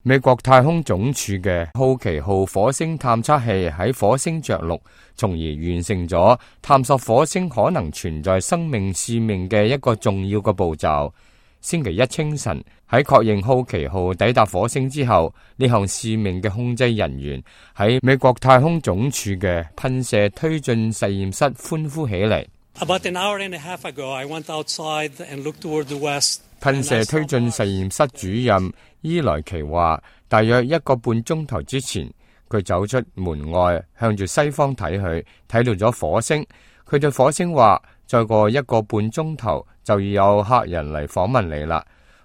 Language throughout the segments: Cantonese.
美國太空總署嘅好奇號火星探測器喺火星着陸，從而完成咗探索火星可能存在生命使命嘅一個重要嘅步驟。星期一清晨，喺確認好奇號抵達火星之後，呢項使命嘅控制人員喺美國太空總署嘅噴射推進實驗室歡呼起嚟。About an hour and a half ago, I went outside and looked toward the west. 噴射推進實驗室主任伊萊奇話，大約1個半鐘頭之前，佢走出門外，向住西方睇去，睇到咗火星。佢對火星話，再過1個半鐘頭就要有客人嚟訪問你啦。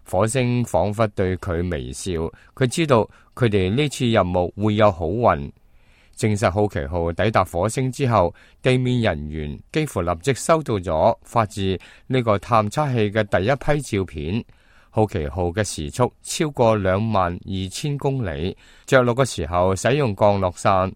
火星仿佛對佢微笑，佢知道佢哋呢次任務會有好運。證實好奇號抵達火星之後，地面人員幾乎立即收到咗發自呢個探測器嘅第一批照片。好奇號嘅時速超過22,000公里，着陸嘅時候使用降落傘、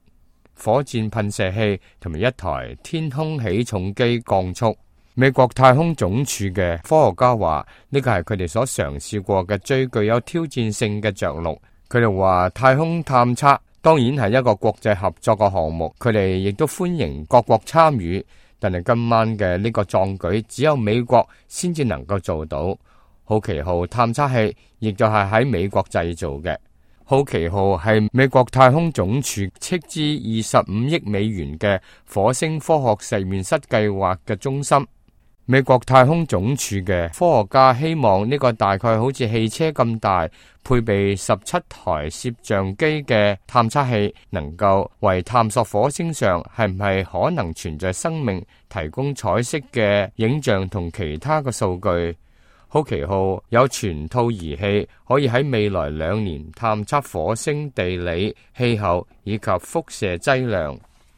火箭噴射器同埋一台天空起重機降速。美國太空總署嘅科學家話，呢個係佢哋所嘗試過嘅最具有挑戰性嘅着陸。佢哋話太空探測當然係一個國際合作嘅項目，佢哋亦都歡迎各國參與，但係今晚嘅呢個壯舉只有美國先至能夠做到。好奇號探測器亦就係喺美國製造嘅。好奇號係美國太空總署斥資25億美元嘅火星科學實驗室計劃嘅中心。美國太空總署嘅科學家希望呢個大概好似汽車咁大，配備17台攝像機嘅探測器，能夠為探索火星上係唔係可能存在生命提供彩色嘅影像同其他嘅數據。好奇號有全套儀器，可以喺未來2年探測火星地理、氣候以及輻射劑量。